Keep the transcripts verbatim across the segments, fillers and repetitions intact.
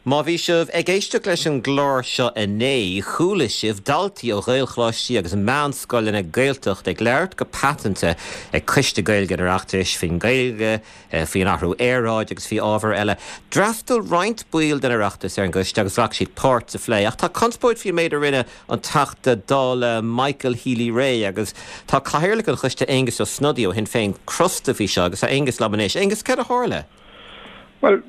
Má bhí sibh ag éisteacht leis an gclár seo inné, chuala sibh daltaí ó Ghaelcholáistí agus meánscoileanna Gaeltachta ag labhairt go paiteanta ag Coiste Gaeilge an Oireachtais faoin Ghaeilge, faoin athrú aeráide agus faoi ábhair eile. D'fhreastail roinnt baill den Oireachtas ar an gcoiste agus ghlac siad páirt sa phlé, ach tá conspóid faoin méid a rinne an Teachta Dála Michael Healy-Rae agus tá cathaoirleach an choiste Aengus Ó Snodaigh ó Shinn Féin crosta faoi seo agus tá Aengus liom anois. Aengus céard a tharla? Well,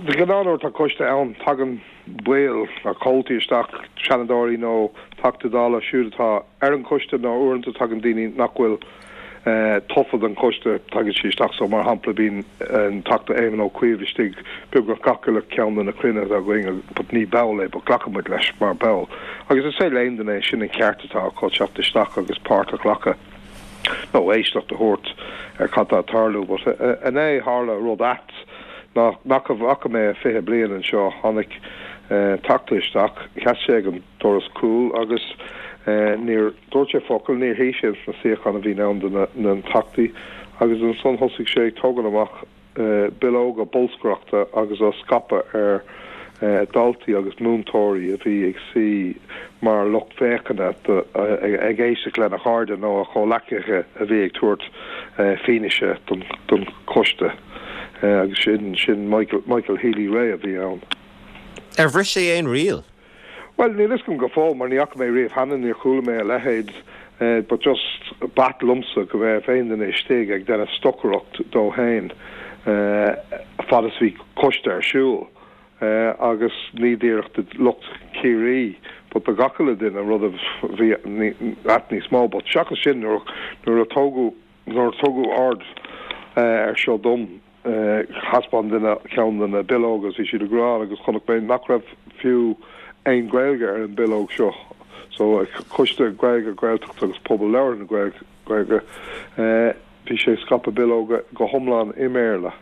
de ghnáth nuair atá coiste ann tagann baill nó comhaltaí isteach seanadóirí nó Teachtaí Dála siúd atá ar an choiste nó uaireanta tagann daoine nach bhfuil eh, tofa don choiste tagann siad isteach so mar shampla bíonn an Teachta Éamon Ó Cuív istigh beagnach gach uile ceann de na cruinnithe againn but ní ball é but glacaimid leis mar ball. Agus is é léon é sin an ceart atá acu teacht isteach agus páirt a ghlacadh nó éisteacht a thabhairt ar cad tá ag tarlú, but inné tharla rud ait nach nach bhfaca mé fiche bliain anseo tháinig teachta isteach sheas sé ag an doras cúil agus níor dúirt sé focal níor shuigh sé sna suíocháin a bhí ann do na teachtaí agus ansan thosaigh sé ag tógáil amach bileoga bolscaireachta agus á scaipeadh ar daltaí agus múinteoirí a bhí ag suí mar lucht féachana ag éisteacht lena chairde nó a chomhghleacaithe a bhí ag tabhairt fianaise don don choiste. agus sin sin Michael, Michael Healy-Rae a bhí ann. Ar bhris sé aon riail? Well níl a fhios agam go fóill mar ní fhaca mé riamh cheana níor chuala mé a leithéid uh, but just b'ait liomsa go bheith aon duine istigh ag déanamh stocaireacht dó féin uh, fad is bhí coiste ar siúl. Uh, agus ní díreach do lucht Ciarraí, but do gach uile duine rud a bhí ait níos mó, but seachas sin nuair nuair a tugadh nuair a tugadh aird uh, ar seo dom thaispeáin duine ceann de na bileoga bhí siad ag rá agus chonaic mé nach raibh fiú aon Ghaeilge ar an bileog seo. So coiste Gaeilge Gaeltacht agus pobal labhartha na Gaeilge bhí sé ag scaipeadh bileoga go hiomlán i mBéarla.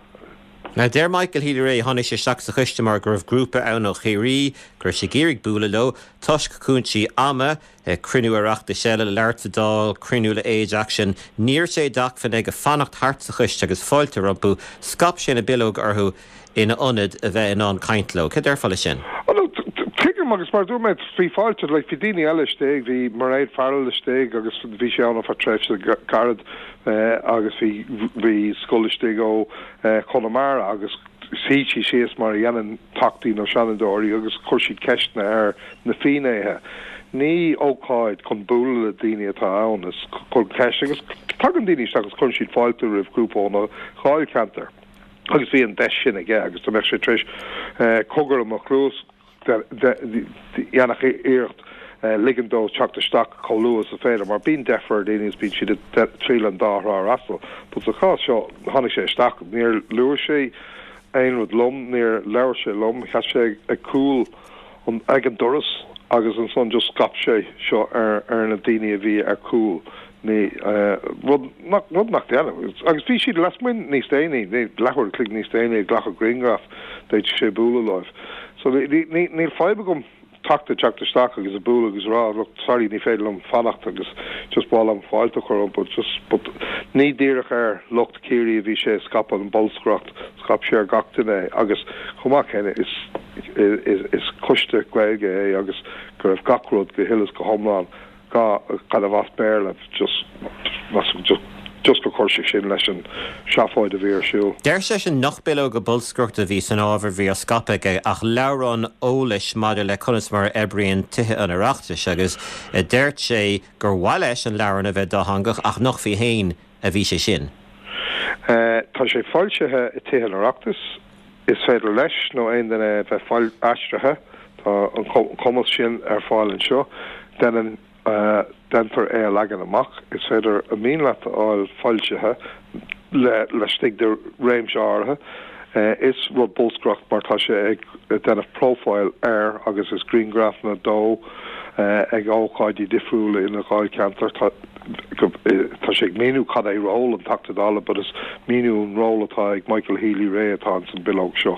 Now deir Michael Healy-Rae tháinig sé isteach sa choiste mar go raibh grúpa ann ó Chiarraí, go raibh sé ag iarraidh bualadh leo, toisc cúinsí ama, cruinniú Oireachtais eile le labhairt sa Dáil, cruinniú le Age Action, ní raibh sé d'acmhainn aige fanacht thart sa choiste agus fáilte rompu, scaip sé na bileoga orthu ina ionad a bheith in ann caint leo. Cad déarfá le sin? Tuigim agus mar dúirt mé bhí fáilte like, bhí daoine eile istigh, bhí Mairéad Farrell istigh agus bhí sé ann ar tréimhse gairid agus bhí bhí scoil istigh ó Chonamara agus shuigh siad síos mar a dhéanann teachtaí nó seanadóirí agus chuir siad ceisteanna ar na finnéithe. Ní ócáid chun bualadh le daoine atá ann is chun ceist agus tagann daoine isteach agus cuireann siad fáilte roimh grúpa óna dháilcheantar. Agus bhí an deis sin aige agus tá mé sé tréis cogar mo chluas dhéanfadh iarracht ligean dó teacht isteach chomh luath is féidir, mar bíonn deifir daoine is bíonn siad triail an dá thrá fhreastal. But sa chás seo tháinig sé isteach níor luaigh sé aon rud liom, níor labhair sé liom, sheas sé ag cúl ag an doras agus ansan just scaip sé seo ar ar na daoine a bhí ar cúl. Ní rud nach rud nach déanamh. Agus bhí siad lasmuigh níos déanaí, leathuair an chloig níos déanaí ag glacadh grianghraf d'fhéadfadh sé bualadh leo. So níl fadhb agam teachta teacht isteach agus a bualadh agus rá look sorry ní féidir liom fanacht agus just b'áil liom fáilte a chur but just but ní díreach ar lucht Ciarraí a bhí sé scaipeadh an bolscaireacht scaip sé ar gach duine agus chomh maith céanna is is is coiste Gaeilge é agus go raibh gach rud go huile is go hiomlán ga kind of as Béarla just just just go chuir sé sin leis an seafóid a bhí ar siúl. Deir sé sin nach bileoga bolscaireachta a bhí san ábhar bhí á scaipeadh aige ach leabhrán eolais maidir le conas mar a oibríonn tithe an Oireachtais agus deir sé gur mhaith leis an leabhrán a bheith dátheangach ach nach faoi féin a bhí sé sin. Uh, tá sé foilsithe i tithe an Oireachtais is féidir leis nó aon duine bheith fáil aistrithe tá an cumas sin ar fáil anseo déanann uh, déantar é a leagan amach is féidir a mian leat a fháil foilsithe le laistigh de réimse áirithe. Uh, is rud bolscaireacht mar tá sé ag déanamh profile air agus is grianghrafanna dó uh, ag ócáidí difriúla ina dháilcheantar tá tá sé ag míniú cad é ról an Teachta Dála, but is míniú an ról atá ag Michael Healy-Rae atá san bileog seo.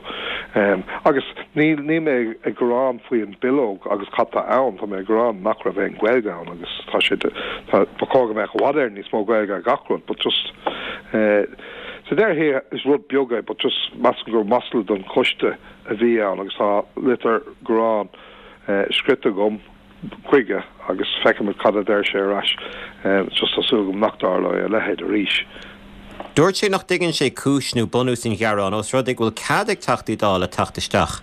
Um, agus ní ní mé ag gearán faoi an bileog agus cad tá ann tá mé ag gearán nach raibh aon Ghaeilge ann agus tá sé ba chóir go mbeadh i bhfad níos mó Gaeilge gach rud, but just uh, Sa deireadh thiar is rud beag é but just measaim gur masla don choiste a bhí ann agus tá litir gearáin scrite agam chuige agus feicfimid cad a deir sé ar ais. Just tá súil agam nach dtarlóidh a leithéid arís. Dúirt sé nach dtuigeann sé cúis nó bunús an ghearáin ós rud é go bhfuil cead ag Teachtaí Dála teacht isteach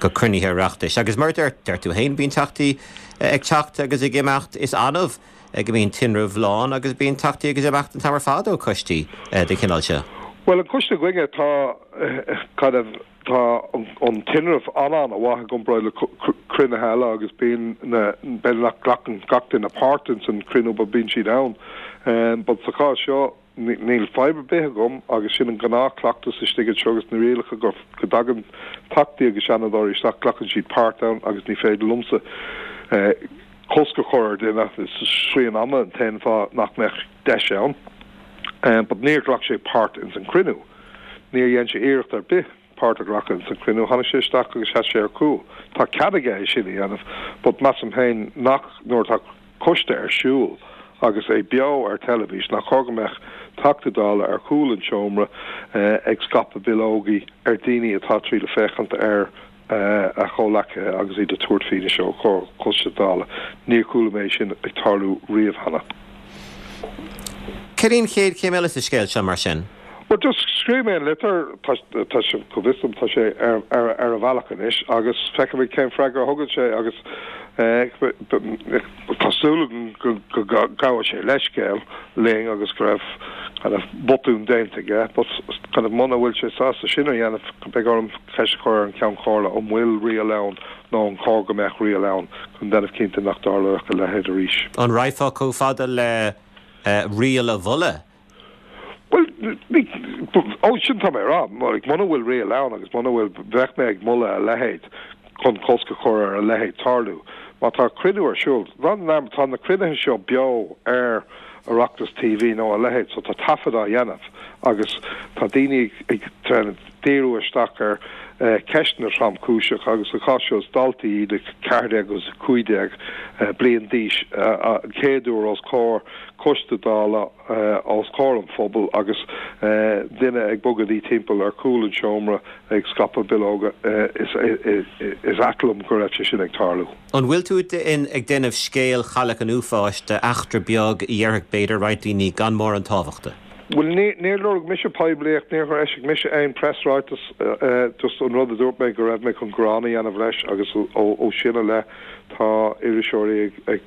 go cruinnithe Oireachtais. Agus mar a deir tú féin bíonn Teachtaí ag teacht agus ag imeacht is annamh go mbíonn tinreamh lán agus bíonn Teachtaí ag imeacht an t-am ar fad ó choistí den chineál seo. Bhuel an coiste againne tá kind of tá an tinreamh an-an-mhaith i gcomparáid le cruinnithe eile agus bíonn na b'fhéidir nach nglacann gach duine páirt ins an cruinniú but bíonn siad ann. But sa chás seo níl fadhb ar bith agam agus sin an gnáthchleachtas istigh anseo agus na rialacha go go dtagann Teachtaí agus Seanadóirí isteach glacann siad páirt ann agus ní féidir liomsa cosc a chur ar duine is srian ama an t-aon fáth nach mbeadh deis ann. But níor ghlac sé páirt ins an cruinniú. Níor dhein sé iarracht ar bith páirt a ghlacadh ins an cruinniú. Tháinig sé isteach agus sheas sé ar cúl. Tá cead aige é sin a dhéanamh, but measaim féin nach nuair atá coiste ar siúl agus é beo ar teilifís nach chóir go mbeadh Teachta Dála ar chúl an tseomra ag scaipeadh bileogaí ar daoine atá triail féachaint ar a chomhleacaithe agus iad ag tabhairt fianaise os comhair Coiste Dála. Níor chuala mé sin ag tarlú riamh cheana. Cad í an chéad chéim eile sa scéal seo mar sin? Bhuel, just scríobh mé an litir, tá sé, go bhfios dom, tá sé ar ar a bhealach anois agus feicfimid cén freagra a thugann sé agus tá súil agam go gabhfaidh sé leithscéal linn agus go raibh kind of botún déanta aige but kind of muna bhfuil sé sásta sin a dhéanamh beidh orm ceist a chur ar an Ceann Comhairle an bhfuil riail ann nó an cóir go mbeadh riail ann chun déanamh cinnte nach dtarlódh a leithéid arís. An raghfá chomh fada le riail a mholadh? Bhuel, ní, ó sin tá mé a rá, muna bhfuil riail ann agus muna bhfuil bheadh mé ag moladh a leithéid chun cosc a chur ar a leithéid tarlú. Má tá cruinniú ar siúl, tá na cruinnithe seo beo ar Oireachtas TV nó a leithéid, so tá taifead á dhéanamh agus tá daoine ag díriú isteach ar ceisteanna tromchúiseacha agus sa chás seo is daltaí iad a ceathair déag agus a cúig déag bliain d'aois an chéad uair os comhair coiste Dála os comhair an phobail agus duine ag bogadaí timpeall ar chúl an tseomra ag scaipeadh bileoga is ait liom go raibh sé sin ag tarlú. An bhfuil tú ag déanamh scéal Chailleach an Uafáis d'eachtra beag a dhéarfadh b'fhéidir roinnt daoine gan mórán tábhachta? Bhuel, níor lorg mise poiblíocht, níor eisigh mise aon preasráiteas, just an rud a dúirt mé go raibh mé chun gearán a dhéanamh leis agus ó sin i leith tá iriseoirí ag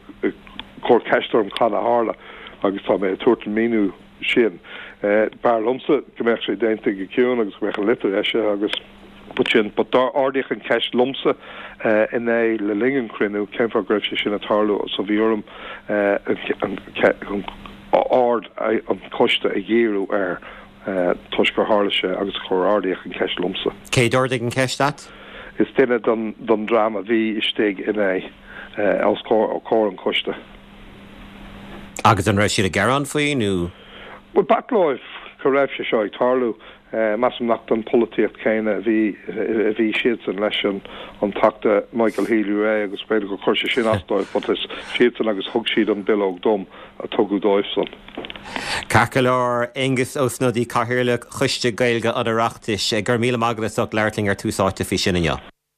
cur ceist orm cad a tharla agus tá mé ag tabhairt an míniú sin. B'fhearr liomsa go mbeadh sé déanta go ciúin agus go mbeadh an litir eisithe agus but sin, but ardaíodh an cheist liomsa inné le linn an chruinniú cén fáth go raibh sé sin ag tarlú so bhí orm an aird an choiste a dhíriú air toisc gur tharla sé agus gur ardaíodh an cheist liomsa. Cé d'ardaigh an cheist leat? Is duine den dream a bhí istigh inné os comhair an choiste. Agus an raibh siad ag gearán faoi nó? Bhuel, b'ait leo go raibh sé seo ag tarlú. Measaim nach don pholaitíocht chéanna a bhí a bhí siadsan leis an an Teachta Michael Healy-Rae agus b'fhéidir gur chuir sé sin as dóibh but is siadsan agus thug siad an bileog dom a tugadh dóibhsan. Ceart go leor, Aengus Ó Snodaigh, Cathaoirleach Choiste Gaeilge an Oireachtais, go raibh míle maith agat as ucht labhairt linn ar Tús Áite faoi sin inniu.